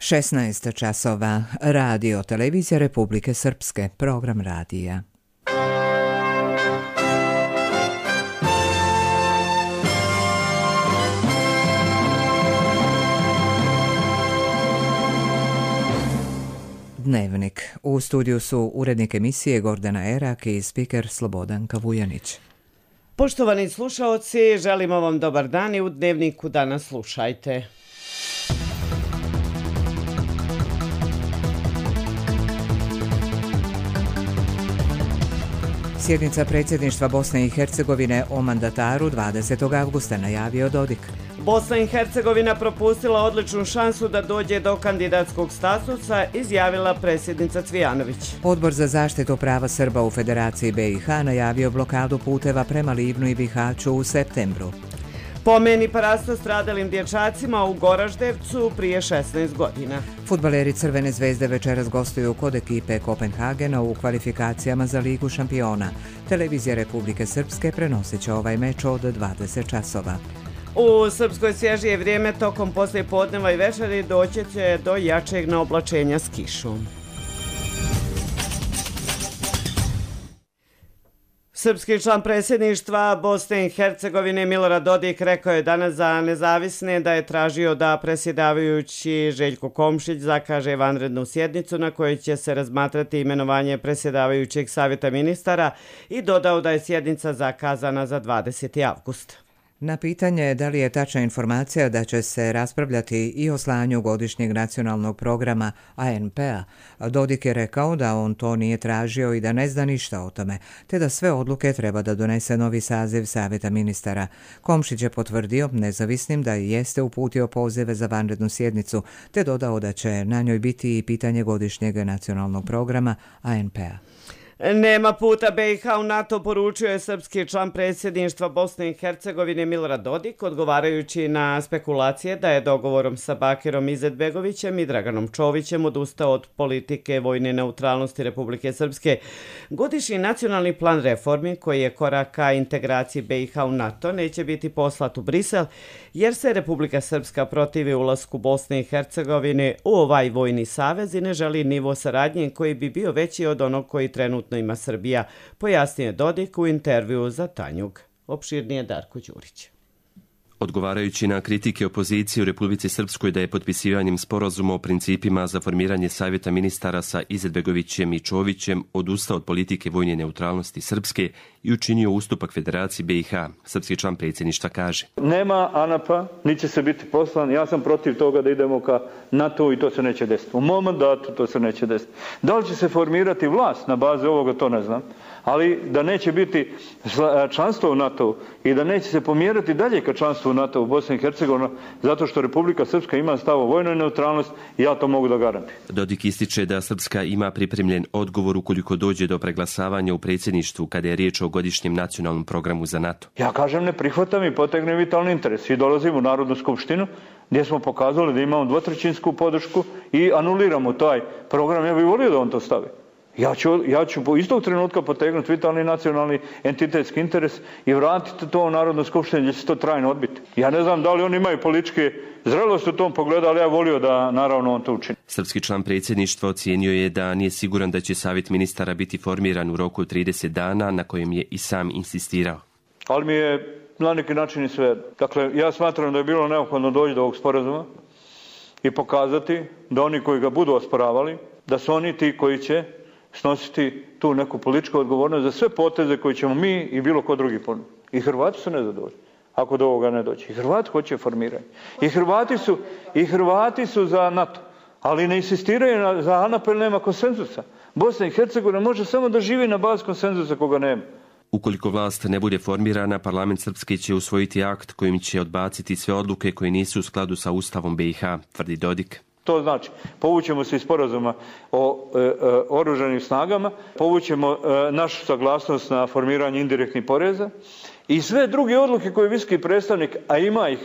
16 časova. Radio Televizija Republike Srpske. Program radija. Dnevnik. U studiju su urednik emisije Gordana Erak i spiker Slobodanka Vujanić. Poštovani slušaoci, želimo vam dobar dan i u Dnevniku danas slušajte. Sjednica predsjedništva Bosne i Hercegovine o mandataru 20. avgusta najavio Dodik. Bosna i Hercegovina propustila odličnu šansu da dođe do kandidatskog statusa, izjavila predsjednica Cvijanović. Odbor za zaštitu prava Srba u Federaciji BiH najavio blokadu puteva prema Livnu i Bihaću u septembru. Pomeni parasta stradalim dječacima u Goraždevcu prije 16 godina. Fudbaleri Crvene zvezde večeras gostuju kod ekipe Kopenhagena u kvalifikacijama za Ligu šampiona. Televizija Republike Srpske prenosit će ovaj meč od 20 časova. U Srpskoj svježije vrijeme tokom poslijepodneva i večeri doći će do jačeg naoblačenja s kišom. Srpski član predsjedništva Bosne i Hercegovine Milorad Dodik rekao je danas za Nezavisne da je tražio da predsjedavajući Željko Komšić zakaže vanrednu sjednicu na kojoj će se razmatrati imenovanje predsjedavajućeg savjeta ministara i dodao da je sjednica zakazana za 20. avgust. Na pitanje da li je tačna informacija da će se raspravljati i o slanju godišnjeg nacionalnog programa ANP-a, Dodik je rekao da on to nije tražio i da ne zna ništa o tome, te da sve odluke treba da donese novi saziv Savjeta ministara. Komšić je potvrdio nezavisnim da jeste uputio pozive za vanrednu sjednicu, te dodao da će na njoj biti i pitanje godišnjeg nacionalnog programa ANP-a. Nema puta BiH u NATO, poručio je srpski član predsjedništva Bosne i Hercegovine Milorad Dodik, odgovarajući na spekulacije da je dogovorom sa Bakirom Izetbegovićem i Draganom Čovićem odustao od politike vojne neutralnosti Republike Srpske. Godišnji nacionalni plan reformi, koji je korak ka integraciji BiH u NATO, neće biti poslat u Brisel, jer se Republika Srpska protivi ulasku Bosne i Hercegovine u ovaj vojni savez i ne želi nivo saradnje koji bi bio veći od onog koji trenutno ima Srbija, pojasnio je Dodik u intervjuu za Tanjug. Opširnije Darko Đurić. Odgovarajući na kritike opozicije u Republici Srpskoj da je potpisivanjem sporazuma o principima za formiranje savjeta ministara sa Izetbegovićem i Čovićem odustao od politike vojne neutralnosti Srpske i učinio ustupak Federaciji BiH, srpski član predsjedništva kaže: Nema ANAP-a, niti će se biti poslan, ja sam protiv toga da idemo ka NATO i to se neće desiti. U mom mandatu to se neće desiti. Da li će se formirati vlast na bazi ovoga, to ne znam. Ali da neće biti članstvo u NATO i da neće se pomjerati dalje ka članstvu u NATO u Bosni i Hercegovini, zato što Republika Srpska ima stav o vojnoj neutralnosti i ja to mogu da garantujem. Dodik ističe da Srpska ima pripremljen odgovor ukoliko dođe do preglasavanja u predsjedništvu kada je riječ o godišnjem nacionalnom programu za NATO. Ja kažem ne prihvatam i potegnem vitalni interes i dolazim u Narodnu skupštinu gdje smo pokazali da imamo dvotrećinsku podršku i anuliramo taj program. Ja bih volio da on to stavi. Ja ću po istog trenutka potegnuti vitalni nacionalni entitetski interes i vratiti to u Narodnu skupštinu gdje će to trajno odbiti. Ja ne znam da li oni imaju političke zrelosti u tom pogledu, ali ja volio da naravno on to učini. Srpski član predsjedništva ocijenio je da nije siguran da će savjet ministara biti formiran u roku od 30 dana, na kojem je i sam insistirao. Ali mi je na neki način i sve. Dakle, ja smatram da je bilo neophodno doći do ovog sporazuma i pokazati da oni koji ga budu osporavali, da su oni ti koji će snositi tu neku političku odgovornost za sve poteze koje ćemo mi i bilo ko drugi ponuditi. I Hrvati su nezadovoljni ako do ovoga ne dođe. I Hrvati hoće formiranje. I Hrvati su za NATO. Ali ne insistiraju za ANAP jer nema konsenzusa. Bosna i Hercegovina može samo da živi na bazi konsenzusa koga nema. Ukoliko vlast ne bude formirana, parlament Srpske će usvojiti akt kojim će odbaciti sve odluke koje nisu u skladu sa Ustavom BiH, tvrdi Dodik. To znači, povućemo se iz sporazuma o oružanim snagama, povućemo našu saglasnost na formiranje indirektnih poreza i sve druge odluke koje je visoki predstavnik, a ima ih,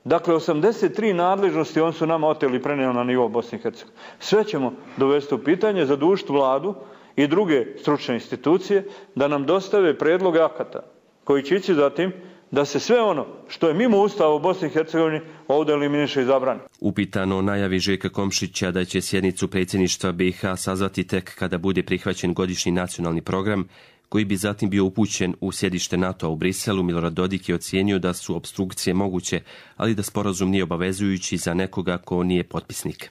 dakle 83 nadležnosti, on su nama oteli i prenijeli na nivo Bosne i Hercegovine. Sve ćemo dovesti u pitanje, zadužiti vladu i druge stručne institucije da nam dostave predloge akata koji će ići zatim da se sve ono što je mimo Ustava u Bosni i Hercegovini ovdje eliminiše i zabrani. Upitano o najavi Željka Komšića da će sjednicu predsjedništva BiH sazvati tek kada bude prihvaćen godišnji nacionalni program, koji bi zatim bio upućen u sjedište NATO-a u Briselu, Milorad Dodik je ocijenio da su opstrukcije moguće, ali da sporazum nije obavezujući za nekoga ko nije potpisnik.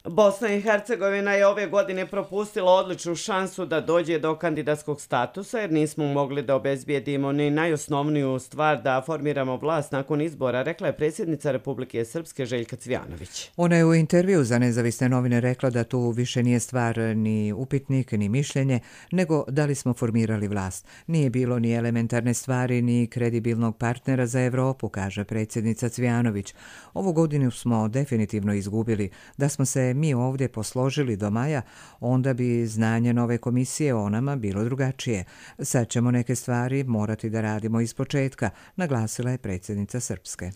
Bosna i Hercegovina je ove godine propustila odličnu šansu da dođe do kandidatskog statusa jer nismo mogli da obezbijedimo ni najosnovniju stvar da formiramo vlast nakon izbora, rekla je predsjednica Republike Srpske Željka Cvijanović. Ona je u intervju za nezavisne novine rekla da tu više nije stvar ni upitnik ni mišljenje, nego da li smo formirali vlast. Nije bilo ni elementarne stvari ni kredibilnog partnera za Evropu, kaže predsjednica Cvijanović. Ovu godinu smo definitivno izgubili. Da smo se mi ovdje posložili do maja, onda bi znanje nove komisije o nama bilo drugačije. Sad ćemo neke stvari morati da radimo iz početka, naglasila je predsjednica Srpske.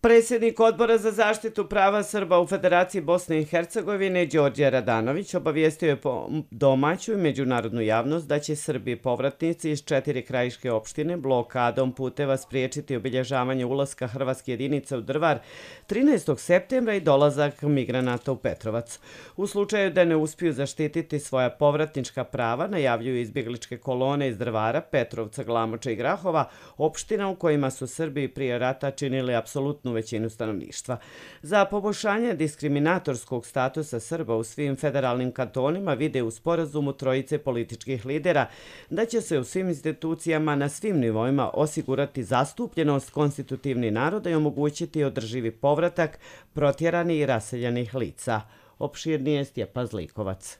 Predsjednik Odbora za zaštitu prava Srba u Federaciji Bosne i Hercegovine Đorđe Radanović obavijestio je domaću i međunarodnu javnost da će Srbi povratnici iz 4 krajiške opštine blokadom puteva spriječiti obilježavanje ulaska hrvatske jedinice u Drvar 13. septembra i dolazak migranata u Petrovac. U slučaju da ne uspiju zaštititi svoja povratnička prava, najavljuju izbjegličke kolone iz Drvara, Petrovca, Glamoča i Grahova, opština u kojima su Srbi prije rata činili apsolutnu većinu stanovništva. Za poboljšanje diskriminatorskog statusa Srba u svim federalnim kantonima vide u sporazumu trojice političkih lidera da će se u svim institucijama na svim nivoima osigurati zastupljenost konstitutivnih naroda i omogućiti održivi povratak protjeranih i raseljenih lica. Opširnije Stjepan Zlikovac.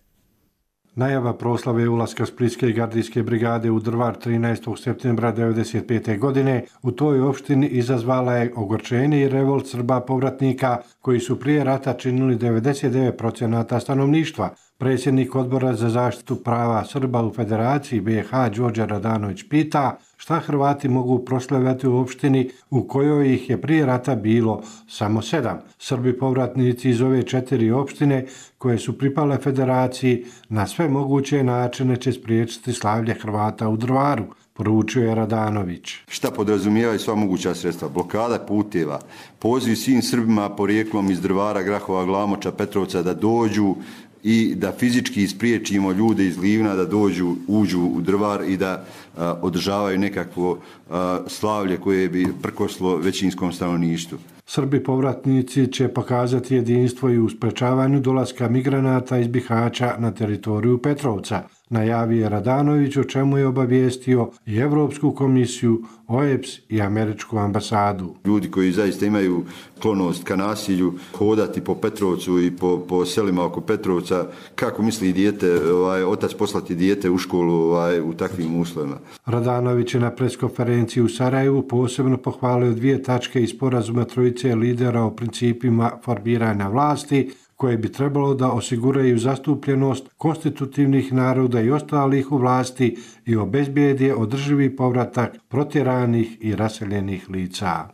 Najava proslave ulaska Splitske gardijske brigade u Drvar 13. septembra 1995. godine u toj opštini izazvala je ogorčenje i revolt Srba povratnika koji su prije rata činili 99% stanovništva. Predsjednik Odbora za zaštitu prava Srba u Federaciji BiH Đorđe Radanović pita šta Hrvati mogu proslavljati u opštini u kojoj ih je prije rata bilo samo 7. Srbi povratnici iz ove 4 opštine koje su pripale Federaciji na sve moguće načine će spriječiti slavlje Hrvata u Drvaru, poručio je Radanović. Šta podrazumijevaju sva moguća sredstva? Blokada puteva, poziv svim Srbima porijeklom iz Drvara, Grahova, Glamoča, Petrovca da dođu i da fizički spriječimo ljude iz Livna da uđu u Drvar i da održavaju nekakvo slavlje koje bi prkoslo većinskom stanovništvu. Srbi povratnici će pokazati jedinstvo i u sprečavanju dolaska migranata iz Bihaća na teritoriju Petrovca, najavio je Radanović, o čemu je obavijestio i Evropsku komisiju, OEBS i Američku ambasadu. Ljudi koji zaista imaju sklonost ka nasilju, hodati po Petrovcu i po selima oko Petrovca, kako misli dijete, otac poslati dijete u školu u takvim uslovima. Radanović je na preskonferenciji u Sarajevu posebno pohvalio 2 tačke iz sporazuma trojice lidera o principima formiranja vlasti, koje bi trebalo da osiguraju zastupljenost konstitutivnih naroda i ostalih u vlasti i obezbijede održivi povratak protjeranih i raseljenih lica.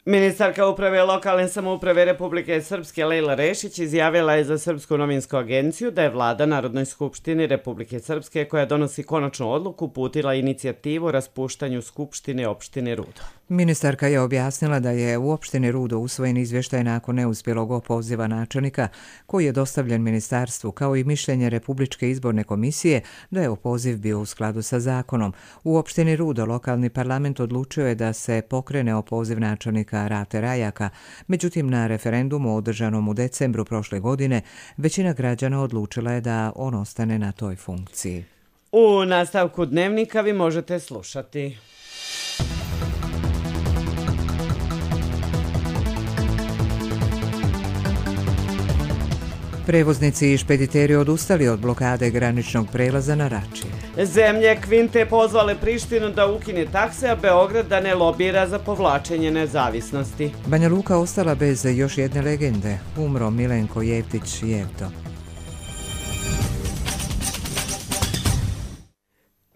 Ministarka uprave lokalne samouprave Republike Srpske Lejla Rešić izjavila je za Srpsku novinsku agenciju da je vlada Narodnoj skupštini Republike Srpske koja donosi konačnu odluku uputila inicijativu o raspuštanju skupštine opštine Rudo. Ministarka je objasnila da je u opštini Rudo usvojen izvještaj nakon neuspjelog opoziva načelnika koji je dostavljen ministarstvu, kao i mišljenje Republičke izborne komisije da je opoziv bio u skladu sa zakonom. U opštini Rudo lokalni parlament odlučio je da se pokrene opoziv načelnika Rate Rajaka, međutim na referendumu održanom u decembru prošle godine većina građana odlučila je da on ostane na toj funkciji. U nastavku dnevnika vi možete slušati. Prevoznici i špediteri odustali od blokade graničnog prelaza na Rači. Zemlje Kvinte pozvale Prištinu da ukine takse, a Beograd da ne lobira za povlačenje nezavisnosti. Banja Luka ostala bez još jedne legende. Umro Milenko Jevtić Jevto.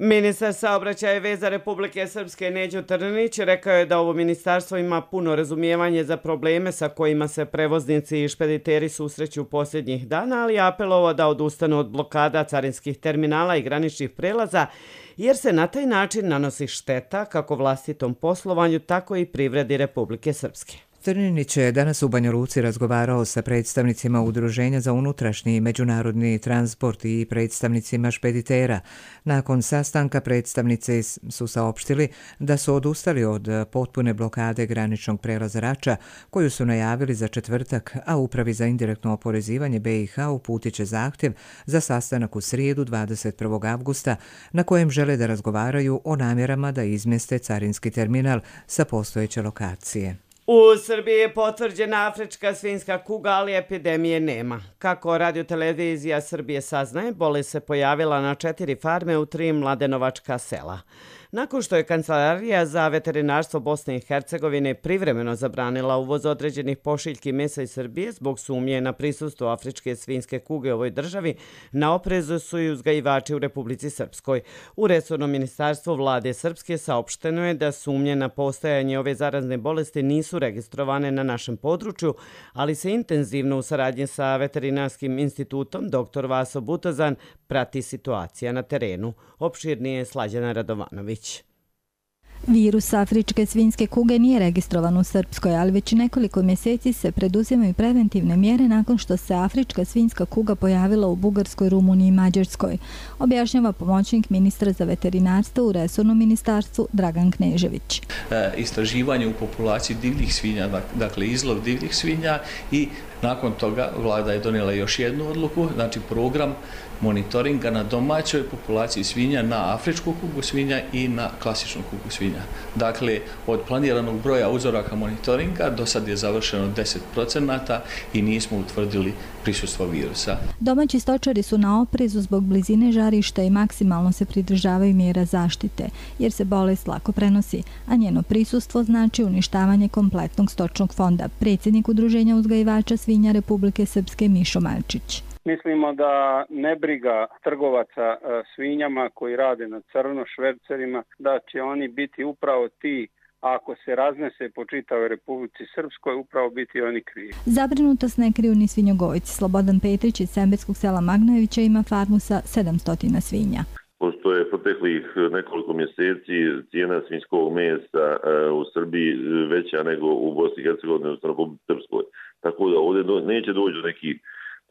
Ministar saobraćaja i veza Republike Srpske Neđo Trnić rekao je da ovo ministarstvo ima puno razumijevanje za probleme sa kojima se prevoznici i špediteri susreću posljednjih dana, ali je apelovao da odustanu od blokada carinskih terminala i graničnih prelaza, jer se na taj način nanosi šteta kako vlastitom poslovanju, tako i privredi Republike Srpske. Trninić je danas u Banja Luci razgovarao sa predstavnicima Udruženja za unutrašnji i međunarodni transport i predstavnicima špeditera. Nakon sastanka predstavnici su saopštili da su odustali od potpune blokade graničnog prelaza Rača, koju su najavili za četvrtak, a Upravi za indirektno oporezivanje BiH uputit će zahtjev za sastanak u srijedu 21. avgusta, na kojem žele da razgovaraju o namjerama da izmjeste carinski terminal sa postojeće lokacije. U Srbiji je potvrđena afrička svinjska kuga, ali epidemije nema. Kako radiotelevizija Srbije saznaje, bolest se pojavila na 4 farme u 3 mladenovačka sela. Nakon što je Kancelarija za veterinarstvo Bosne i Hercegovine privremeno zabranila uvoz određenih pošiljki mesa iz Srbije zbog sumnje na prisustvo afričke svinjske kuge u ovoj državi, na oprezu su i uzgajivači u Republici Srpskoj. U resornom ministarstvu vlade Srpske saopšteno je da sumnje na postojanje ove zarazne bolesti nisu registrovane na našem području, ali se intenzivno u saradnji sa Veterinarskim institutom dr. Vaso Butozan prati situacija na terenu. Opširnije je Slađana Radovanović. Virus afričke svinjske kuge nije registrovan u Srpskoj, ali već nekoliko mjeseci se preduzimaju preventivne mjere nakon što se afrička svinjska kuga pojavila u Bugarskoj, Rumuniji i Mađarskoj, objašnjava pomoćnik ministra za veterinarstvo u resornom ministarstvu Dragan Knežević. Istraživanje u populaciji divljih svinja, dakle izlov divljih svinja, i nakon toga vlada je donijela još jednu odluku, znači program monitoringa na domaćoj populaciji svinja, na afričku kugu svinja i na klasičnu kugu svinja. Dakle, od planiranog broja uzoraka monitoringa do sad je završeno 10% i nismo utvrdili prisustvo virusa. Domaći stočari su na oprezu zbog blizine žarišta i maksimalno se pridržavaju mjera zaštite, jer se bolest lako prenosi, a njeno prisustvo znači uništavanje kompletnog stočnog fonda. Predsjednik Udruženja uzgajivača svinja Republike Srpske Mišo Malčić. Mislimo da nebriga trgovaca svinjama koji rade na crno, švercerima, da će oni biti upravo ti, ako se raznese po čitavoj Republici Srpskoj, upravo biti oni krivi. Zabrinutost ne kriju ni svinjogojci. Slobodan Petrić iz Semberskog sela Magnojevića ima farmu sa 700 svinja. Pošto je proteklih nekoliko mjeseci cijena svinjskog mesa u Srbiji veća nego u Bosni i Hercegovini, odnosno Republici Srpskoj. Tako da ovdje neće doći do nekih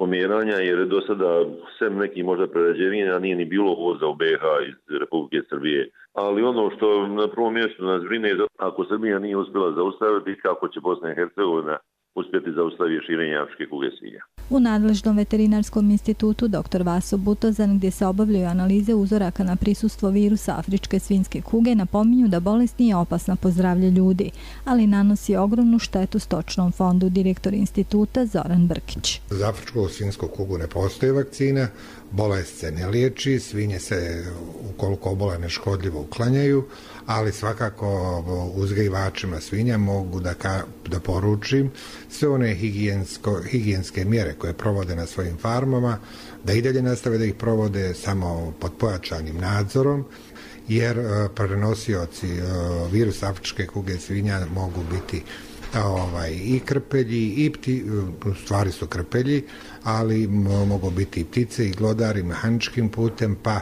pomjeranja, jer je do sada sem nekih možda prerađevina nije ni bilo uvoza u BiH iz Republike Srbije. Ali ono što na prvom mjestu nas brine je da ako Srbija nije uspjela zaustaviti, kako će Bosna i Hercegovina uspjeti zaustaviti širenje afričke kuge svinja. U nadležnom veterinarskom institutu dr. Vaso Butozan, gdje se obavljaju analize uzoraka na prisustvo virusa afričke svinjske kuge, napominju da bolest nije opasna po zdravlje ljudi, ali nanosi ogromnu štetu stočnom fondu, direktor instituta Zoran Brkić. Za afričku svinjsku kugu ne postoji vakcina, bolest se ne liječi, svinje se ukoliko obole neškodljivo uklanjaju, ali svakako uzgajivačima svinja mogu da poručim sve one higijenske mjere koje provode na svojim farmama, da i dalje nastave da ih provode samo pod pojačanim nadzorom, jer prenosioci virusa afričke kuge svinja mogu biti i krpelji, u stvari su krpelji, ali mogu biti i ptice i glodari mehaničkim putem, pa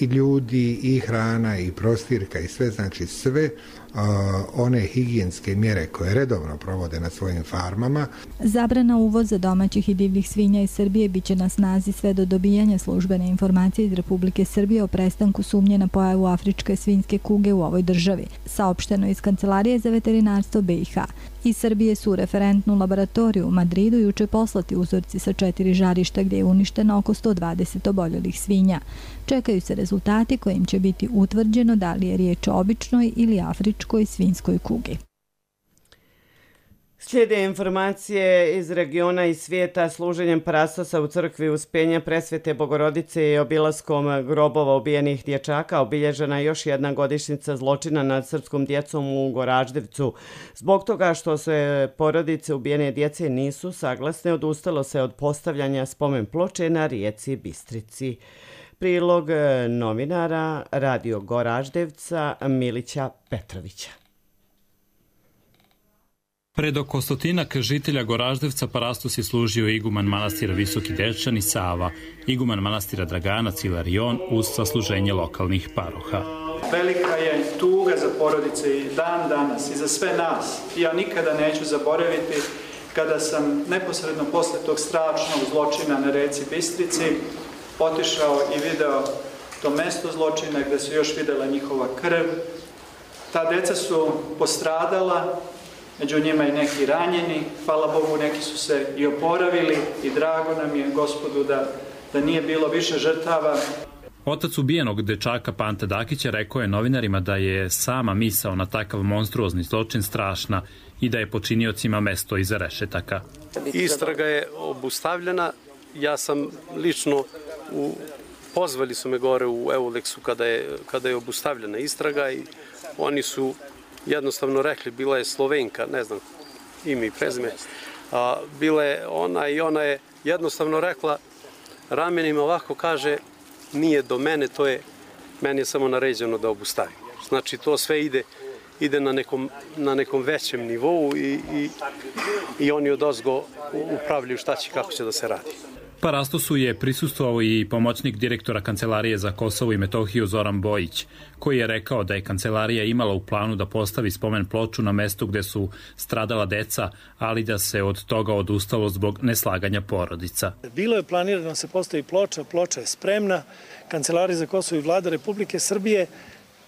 i ljudi, i hrana, i prostirka, i sve, znači sve one higijenske mjere koje redovno provode na svojim farmama. Zabrana uvoza domaćih i divljih svinja iz Srbije biće na snazi sve do dobijanja službene informacije iz Republike Srbije o prestanku sumnje na pojavu afričke svinjske kuge u ovoj državi, saopšteno iz Kancelarije za veterinarstvo BiH. Iz Srbije su u referentnu laboratoriju u Madridu juče poslati uzorci sa 4 žarišta gdje je uništeno oko 120 oboljelih svinja. Čekaju se rezultati kojim će biti utvrđeno da li je riječ o običnoj ili afričkoj svinjskoj kugi. Slijede informacije iz regiona i svijeta služenjem parastosa u crkvi Uspenja Presvete Bogorodice i obilaskom grobova ubijenih dječaka obilježena još jedna godišnjica zločina nad srpskom djecom u Goraždevcu. Zbog toga što se porodice ubijene djece nisu saglasne, odustalo se od postavljanja spomen ploče na rijeci Bistrici. Prilog novinara Radio Goraždevca Milića Petrovića. Pred oko stotinak žitelja Goraždevca parastos je služio iguman manastira Visoki Dečani Sava, iguman manastira Draganac Ilarion uz sasluženje lokalnih paroha. Velika je tuga za porodice i dan danas i za sve nas. Ja nikada neću zaboraviti kada sam neposredno posle tog strašnog zločina na reci Bistrici otišao i video to mesto zločina gde su još videla njihova krv. Ta deca su postradala, među njima i neki ranjeni, hvala Bogu neki su se i oporavili i drago nam je Gospodu da nije bilo više žrtava. Otac ubijenog dečaka Panta Dakića rekao je novinarima da je sama misao na takav monstruozni zločin strašna i da je počiniocima mesto iza rešetaka. Istraga je obustavljena. Ja sam lično pozvali su me gore u Euleksu kada je obustavljena istraga i oni su jednostavno rekli, bila je Slovenka, ne znam ime i prezime, bila je ona i ona je jednostavno rekla ramenima ovako kaže nije do mene, meni je samo naređeno da obustavim. Znači to sve ide na nekom većem nivou i oni odozgo upravljaju šta će, kako će da se radi. Parastosu je prisustvovao i pomoćnik direktora Kancelarije za Kosovo i Metohiju Zoran Bojić, koji je rekao da je kancelarija imala u planu da postavi spomen ploču na mestu gde su stradala deca, ali da se od toga odustalo zbog neslaganja porodica. Bilo je planirano da se postavi ploča je spremna, Kancelarija za Kosovo i Vlada Republike Srbije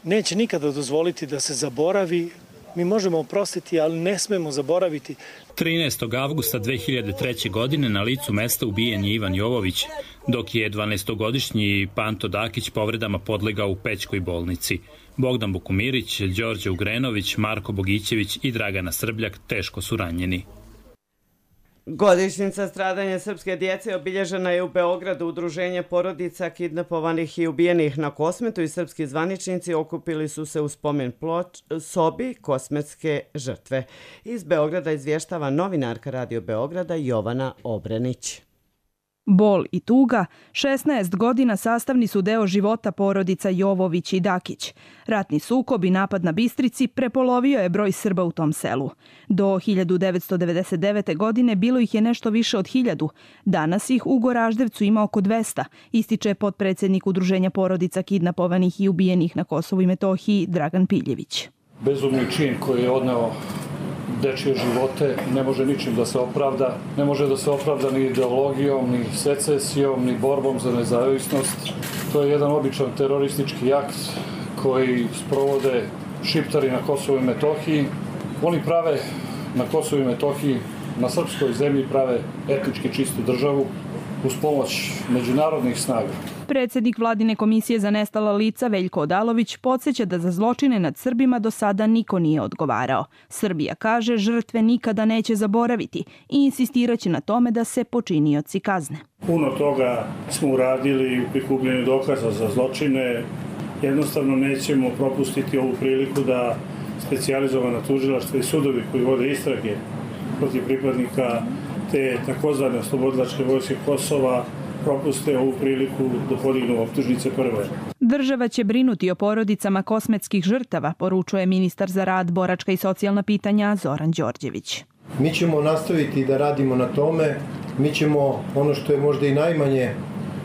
neće nikada dozvoliti da se zaboravi. Mi možemo oprostiti, ali ne smemo zaboraviti. 13. avgusta 2003. godine na licu mesta ubijen je Ivan Jovović, dok je 12-godišnji Panto Dakić povredama podlegao u Pećkoj bolnici. Bogdan Bukumirić, Đorđe Ugrenović, Marko Bogićević i Dragana Srbljak teško su ranjeni. Godišnjica stradanja srpske djece obilježena je u Beogradu. Udruženje porodica kidnapovanih i ubijenih na Kosmetu i srpski zvaničnici okupili su se u spomen sobi Kosmetske žrtve. Iz Beograda izvještava novinarka Radio Beograda Jovana Obrenić. Bol i tuga 16 godina sastavni su deo života porodica Jovović i Dakić. Ratni sukob i napad na Bistrici prepolovio je broj Srba u tom selu. Do 1999. godine bilo ih je nešto više od 1000. Danas ih u Goraždevcu ima oko 200, ističe potpredsjednik Udruženja porodica kidnapovanih i ubijenih na Kosovu i Metohiji Dragan Piljević. Bezumni čin koji je odneo dečije živote ne može ničim da se opravda. Ne može da se opravda ni ideologijom, ni secesijom, ni borbom za nezavisnost. To je jedan običan teroristički akt koji sprovode šiptari na Kosovu i Metohiji. Oni prave na Kosovu i Metohiji, na srpskoj zemlji prave etnički čistu državu uz pomoć međunarodnih snaga. Predsjednik Vladine komisije za nestala lica Veljko Odalović podsjeća da za zločine nad Srbima do sada niko nije odgovarao. Srbija kaže žrtve nikada neće zaboraviti i insistiraće na tome da se počinioci kazne. Puno toga smo uradili u prikupljenju dokaza za zločine. Jednostavno nećemo propustiti ovu priliku da specijalizovana tužilaštva i sudovi koji vode istrage protiv pripadnika te takozvane oslobodilačke vojske Kosova propuste ovu priliku da podignu optužnice prve. Država će brinuti o porodicama kosmetskih žrtava, poručuje ministar za rad, boračka i socijalna pitanja Zoran Đorđević. Mi ćemo nastaviti da radimo na tome. Mi ćemo, ono što je možda i najmanje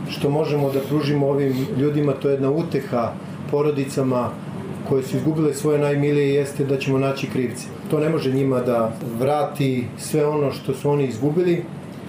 što možemo da pružimo ovim ljudima, to je jedna uteha porodicama koje su izgubile svoje najmilije, jeste da ćemo naći krivce. To ne može njima da vrati sve ono što su oni izgubili,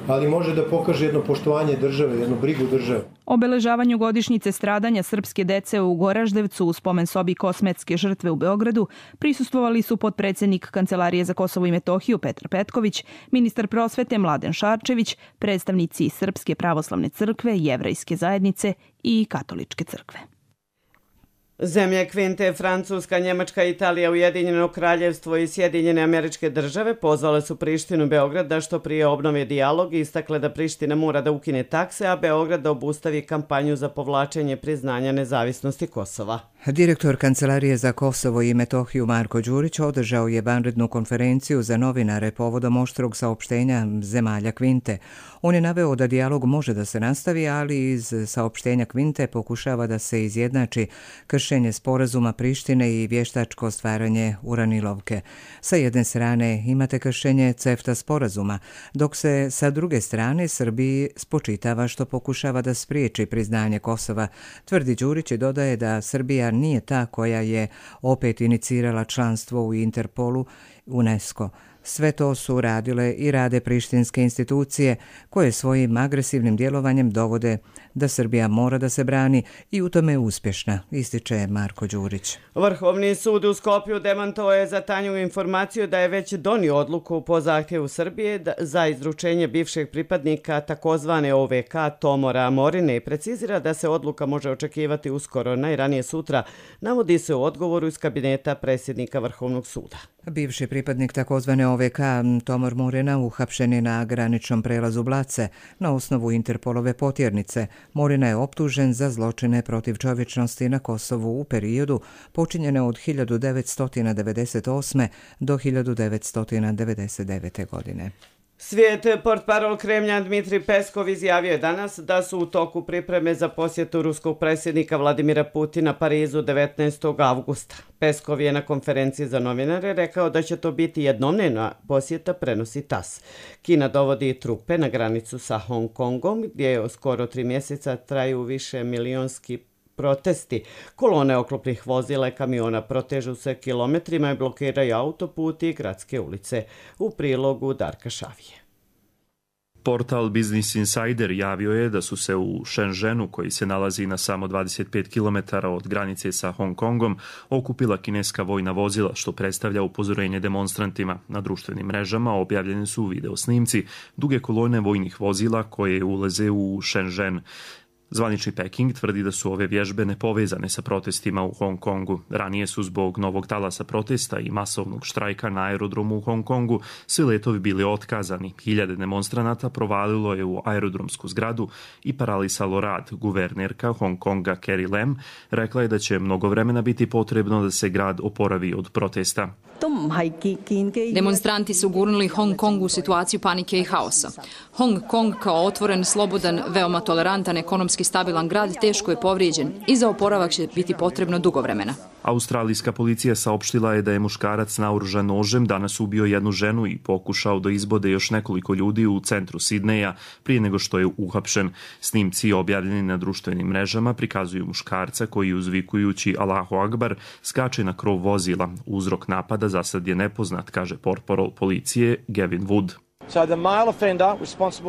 ali može da pokaže jedno poštovanje države, jednu brigu države. Obeležavanju godišnjice stradanja srpske dece u Goraždevcu u spomen sobi Kosmetske žrtve u Beogradu prisustvovali su potpredsjednik Kancelarije za Kosovo i Metohiju Petar Petković, ministar prosvete Mladen Šarčević, predstavnici Srpske pravoslavne crkve, Jevrejske zajednice i Katoličke crkve. Zemlje Kvinte, Francuska, Njemačka, Italija, Ujedinjeno kraljevstvo i Sjedinjene Američke Države pozvale su Prištinu Beograd da što prije obnovi dijalog i istakle da Priština mora da ukine takse, a Beograd da obustavi kampanju za povlačenje priznanja nezavisnosti Kosova. Direktor Kancelarije za Kosovo i Metohiju Marko Đurić održao je vanrednu konferenciju za novinare povodom oštrog saopštenja zemalja Kvinte. On je naveo da dijalog može da se nastavi, ali iz saopštenja Kvinte pokušava da se izjednači kršenje sporazuma Prištine i vještačko stvaranje uranilovke. Sa jedne strane imate kršenje CEFTA sporazuma, dok se sa druge strane Srbiji spočitava što pokušava da spriječi priznanje Kosova. Tvrdi Đurić i dodaje da Srbija nije ta koja je opet inicirala članstvo u Interpolu, UNESCO. Sve to su radile i rade prištinske institucije koje svojim agresivnim djelovanjem dovode da Srbija mora da se brani i u tome je uspješna, ističe Marko Đurić. Vrhovni sud u Skopju demantovao je za Tanju informaciju da je već donio odluku po zahtjevu Srbije za izručenje bivšeg pripadnika takozvane OVK Tomora Morine i precizira da se odluka može očekivati uskoro, najranije sutra, navodi se u odgovoru iz kabineta predsjednika Vrhovnog suda. Bivši pripadnik takozvane OVK Tomor Morina uhapšen je na graničnom prelazu Blace na osnovu Interpolove potjernice. Morina je optužen za zločine protiv čovječnosti na Kosovu u periodu počinjene od 1998. do 1999. godine. Svijet portparol Kremlja Dmitri Peskov izjavio je danas da su u toku pripreme za posjetu ruskog predsjednika Vladimira Putina Parizu 19. avgusta. Peskov je na konferenciji za novinare rekao da će to biti jednodnevna posjeta, prenosi TASS. Kina dovodi trupe na granicu sa Hong Kongom, gdje skoro 3 mjeseca traju više milionski protesti. Kolone oklopnih vozila i kamiona protežu se kilometrima i blokiraju autoputi i gradske ulice. U prilogu Darka Šavije. Portal Business Insider javio je da su se u Shenzhenu, koji se nalazi na samo 25 km od granice sa Hong Kongom, okupila kineska vojna vozila, što predstavlja upozorenje demonstrantima. Na društvenim mrežama objavljeni su video snimci duge kolone vojnih vozila koje ulaze u Shenzhen. Zvanični Peking tvrdi da su ove vježbe nepovezane sa protestima u Hong Kongu. Ranije su zbog novog talasa protesta i masovnog štrajka na aerodromu u Hong Kongu svi letovi bili otkazani. Hiljade demonstranata provalilo je u aerodromsku zgradu i paralisalo rad. Guvernerka Hong Konga Carrie Lam rekla je da će mnogo vremena biti potrebno da se grad oporavi od protesta. Demonstranti su gurnuli Hong Kong u situaciju panike i haosa. Hong Kong kao otvoren, slobodan, veoma tolerantan, ekonomski stabilan grad teško je povrijeđen i za oporavak će biti potrebno dugo vremena. Australijska policija saopštila je da je muškarac naoružan nožem danas ubio jednu ženu i pokušao da izbode još nekoliko ljudi u centru Sidneja prije nego što je uhapšen. Snimci objavljeni na društvenim mrežama prikazuju muškarca koji uzvikujući Allahu Akbar skače na krov vozila. Uzrok napada za sad je nepoznat, kaže portparol policije Gavin Wood.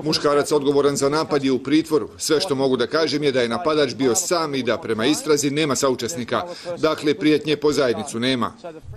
Muškarac odgovoran za napad je u pritvoru. Sve što mogu da kažem je da je napadač bio sam i da prema istrazi nema saučesnika. Dakle, prijetnje po zajednicu nema.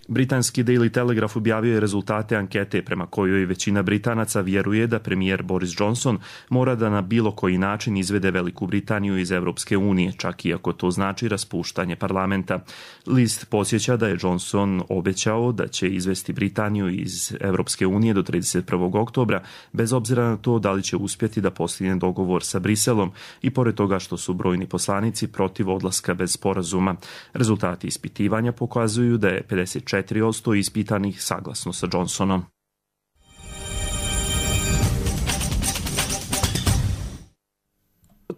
Britanski Daily Telegraph objavio je rezultate ankete prema kojoj većina Britanaca vjeruje da premijer Boris Johnson mora da na bilo koji način izvede Veliku Britaniju iz Evropske unije, čak i ako to znači raspuštanje parlamenta. List podsjeća da je Johnson obećao da će izvesti Britaniju iz Evropske unije do 31. oktobra, bez obzira na to da li će uspjeti da postigne dogovor sa Briselom i pored toga što su brojni poslanici protiv odlaska bez sporazuma. Rezultati ispitivanja pokazuju da je 54% ispitanih saglasno sa Johnsonom.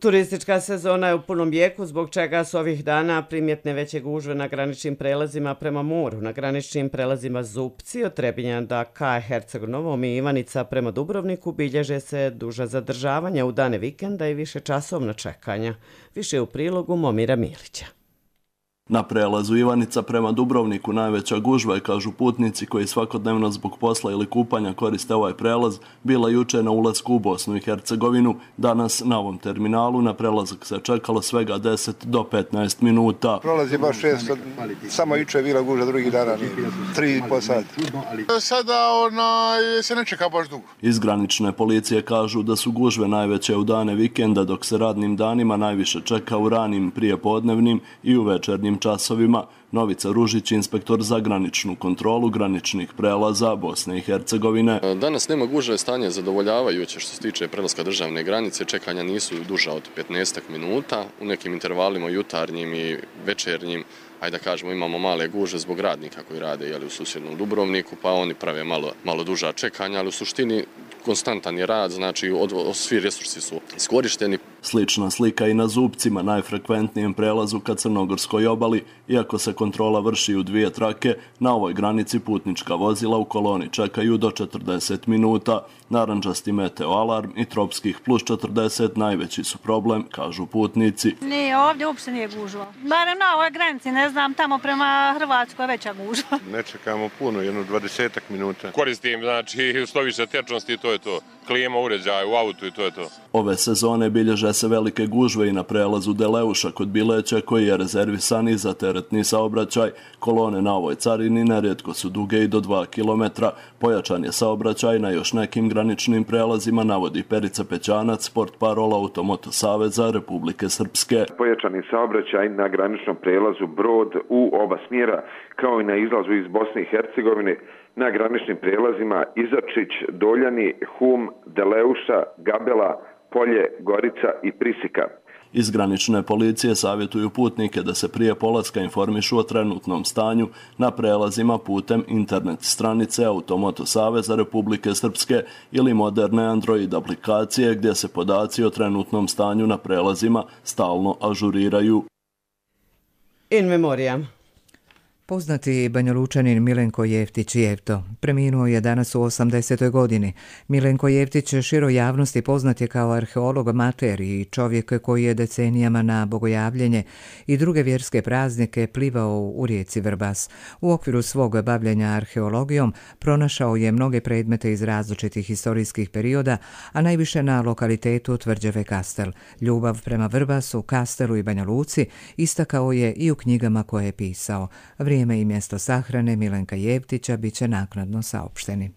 Turistička sezona je u punom jeku, zbog čega su ovih dana primjetne veće gužve na graničnim prelazima prema moru. Na graničnim prelazima Zupci od Trebinja do ka Herceg Novom i Ivanica prema Dubrovniku bilježe se duža zadržavanja u dane vikenda i više časovna čekanja. Više u prilogu Momira Milića. Na prelazu Ivanica prema Dubrovniku najveća gužva je, kažu putnici koji svakodnevno zbog posla ili kupanja koriste ovaj prelaz, bila juče na ulasku u Bosnu i Hercegovinu. Danas na ovom terminalu na prelazak se čekalo svega 10 do 15 minuta. Prolaz je baš često, samo juče je bila gužva, drugih dana 3,5 sata. Sada se ne čeka baš dugo. Iz granične policije kažu da su gužve najveće u dane vikenda, dok se radnim danima najviše čeka u ranim prijepodnevnim i u večernjim časovima. Novica Ružić, inspektor za graničnu kontrolu graničnih prelaza Bosne i Hercegovine. Danas nema gužve, stanje zadovoljavajuće što se tiče prelaska državne granice. Čekanja nisu duža od 15 minuta. U nekim intervalima jutarnjim i večernjim, ajde da kažemo, imamo male guže zbog radnika koji rade u susjednom Dubrovniku, pa oni prave malo duža čekanja, ali u suštini konstantan je rad, znači svi resursi su iskorišteni. Slična slika i na Zupcima, najfrekventnijem prelazu ka Crnogorskoj obali. Iako se kontrola vrši u 2 trake, na ovoj granici putnička vozila u koloni čekaju do 40 minuta. Narandžasti meteo alarm i tropskih plus 40 najveći su problem, kažu putnici. Nije, ovdje uopšte nije gužva. Barem na ovoj granici, ne znam, tamo prema Hrvatskoj veća gužva. Ne čekamo puno, 20 minuta. Koristim, znači, što više tečnosti, to je to. Klima, uređaj u autu i to je to. Ove sezone bilježe se velike gužve i na prelazu Deleuša kod Bileća, koji je rezervisan i za teretni saobraćaj. Kolone na ovoj carini nerijetko su duge i do 2 km. Pojačan je saobraćaj na još nekim graničnim prelazima, navodi Perica Pećanac, portparol Automoto Saveza Republike Srpske. Pojačani saobraćaj na graničnom prelazu Brod u oba smjera, kao i na izlazu iz Bosne i Hercegovine, na graničnim prelazima Izačić, Doljani, Hum, Deleuša, Gabela, Polje, Gorica i Prisika. Iz granične policije savjetuju putnike da se prije polaska informišu o trenutnom stanju na prelazima putem internet stranice Automoto Saveza Republike Srpske ili moderne Android aplikacije gdje se podaci o trenutnom stanju na prelazima stalno ažuriraju. In memoriam. Poznati Banjalučanin Milenko Jeftić-Jefto preminuo je danas u 80. godini. Milenko Jeftić široj javnosti poznat je kao arheolog amater i čovjek koji je decenijama na bogojavljenje i druge vjerske praznike plivao u rijeci Vrbas. U okviru svog bavljenja arheologijom pronašao je mnoge predmete iz različitih historijskih perioda, a najviše na lokalitetu tvrđave Kastel. Ljubav prema Vrbasu, Kastelu i Banja Luci istakao je i u knjigama koje je pisao. Vrijeme i mjesto sahrane Milenka Jeftića bit će naknadno saopšteni.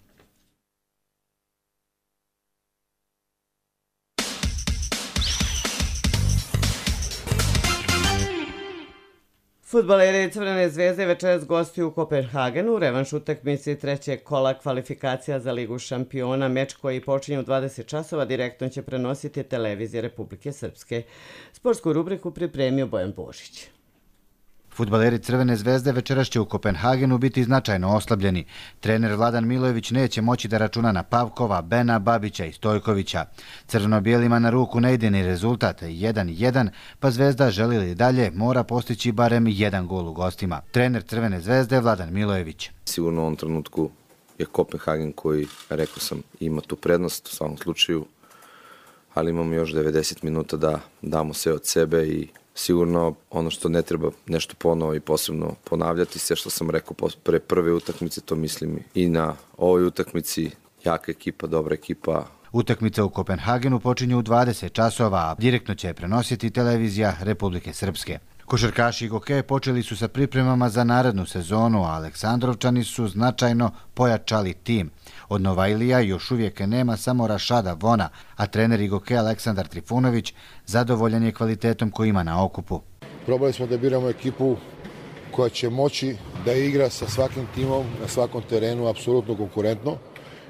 Fudbaleri Crvene zvezde večeras gostuju u Kopenhagenu, revanš utakmici trećeg kola kvalifikacija za Ligu šampiona. Meč koji počinje u 20 časova direktno će prenositi televizija Republike Srpske. Sportsku rubriku pripremio Bojan Božić. Fudbaleri Crvene zvezde večeras će u Kopenhagenu biti značajno oslabljeni. Trener Vladan Milojević neće moći da računa na Pavkova, Bena, Babića i Stojkovića. Crveno-bijelima na ruku ne ide ni rezultat 1-1, pa Zvezda želi li dalje mora postići barem 1 gol u gostima. Trener Crvene zvezde Vladan Milojević. Sigurno u ovom trenutku je Kopenhagen koji, rekao sam, ima tu prednost u svakom slučaju, ali imamo još 90 minuta da damo sve od sebe i sigurno ono što ne treba nešto ponovo i posebno ponavljati, sve što sam rekao pre prve utakmice, to mislim i na ovoj utakmici. Jaka ekipa, dobra ekipa. Utakmica u Kopenhagenu počinje u 20 časova, a direktno će je prenositi televizija Republike Srpske. Košarkaši Goke počeli su sa pripremama za narednu sezonu, a Aleksandrovčani su značajno pojačali tim. Od Novajlija još uvijek nema samo Rašada Vona, a trener Igoke Aleksandar Trifunović zadovoljan je kvalitetom koji ima na okupu. Probali smo da biramo ekipu koja će moći da igra sa svakim timom na svakom terenu apsolutno konkurentno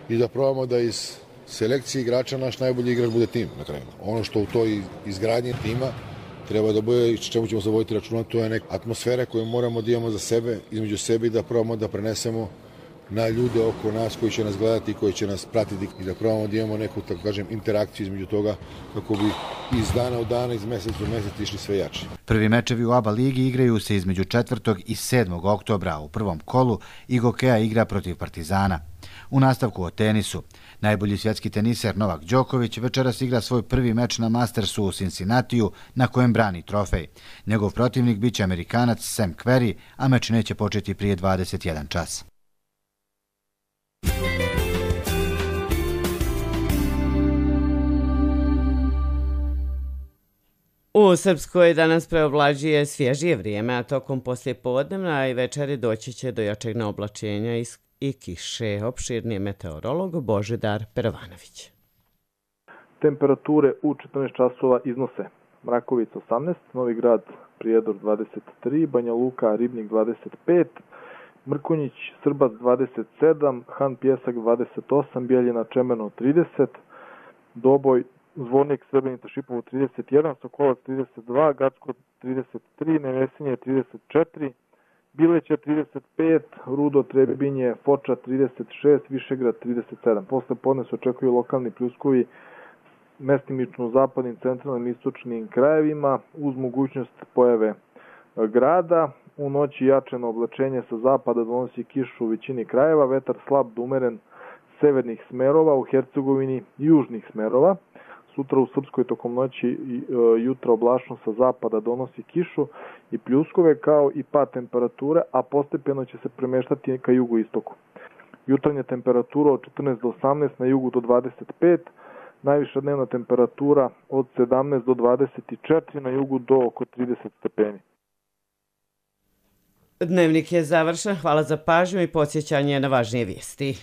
i da probamo da iz selekcije igrača naš najbolji igrač bude tim na kraju. Ono što u toj izgradnji tima treba da bude i čemu ćemo zavoditi računa, to je neka atmosfera koju moramo da imamo za sebe, između sebe i da probamo da prenesemo na ljude oko nas koji će nas gledati i koji će nas pratiti i da probamo da imamo neku, tako kažem, interakciju između toga kako bi iz dana u dana, iz mjeseca u mjesec išli sve jači. Prvi mečevi u ABA ligi igraju se između 4. i 7. oktobra. U prvom kolu Igokea igra protiv Partizana. U nastavku o tenisu. Najbolji svjetski teniser Novak Đoković večeras igra svoj prvi meč na Mastersu u Cincinnatiju na kojem brani trofej. Njegov protivnik biće Amerikanac Sam Querrey, a meč neće početi prije 21 čas. U Srpskoj danas preoblađuje svježije vrijeme, a tokom poslijepodnevna i večeri doći će do jačeg oblačenja i kiše. Opširni meteorolog Božidar Perovanović. Temperature u 14 časova iznose Mrakovica 18, Novi Grad Prijedor 23, Banja Luka Ribnik 25, Mrkonjić Srbac 27, Han Pjesak 28, Bijeljina Čemerno 30, Doboj Zvornik Srebrenica Šipovo 31, Sokolac 32, Gacko 33, Nevesinje 34, Bileća 35, Rudo Trebinje, Foča 36, Višegrad 37. Posle podne se očekuju lokalni pljuskovi mestimično u zapadnim, centralnim i istočnim krajevima uz mogućnost pojave grada. U noći jačeno oblačenje sa zapada donosi kišu u većini krajeva, vetar slab do umeren severnih smerova, u Hercegovini južnih smerova. Sutra u Srpskoj tokom noći i jutra oblačno sa zapada donosi kišu i pljuskove kao i pad temperature, a postepeno će se premeštati ka jugoistoku. Jutarnja temperatura od 14 do 18, na jugu do 25, najviša dnevna temperatura od 17 do 24, na jugu do oko 30 stepeni. Dnevnik je završen, hvala za pažnju i podsjećanje na važnije vijesti.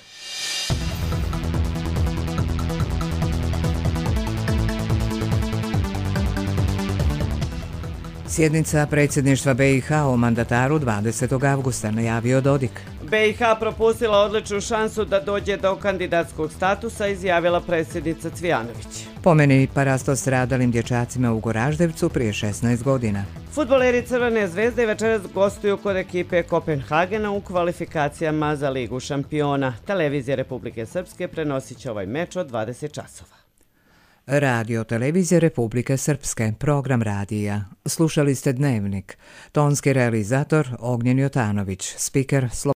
Sjednica predsjedništva BiH o mandataru 20. avgusta, najavio Dodik. BiH propustila odličnu šansu da dođe do kandidatskog statusa, izjavila predsjednica Cvijanović. Pomeni parasto stradalim dječacima u Goraždevcu prije 16 godina. Fudbaleri Crvene zvezde večeras gostuju kod ekipe Kopenhagena u kvalifikacijama za Ligu šampiona. Televizija Republike Srpske prenosit će ovaj meč od 20 časova. Radio Televizije Republike Srpske, program radija. Slušali ste Dnevnik. Tonski realizator Ognjen Jotanović, spiker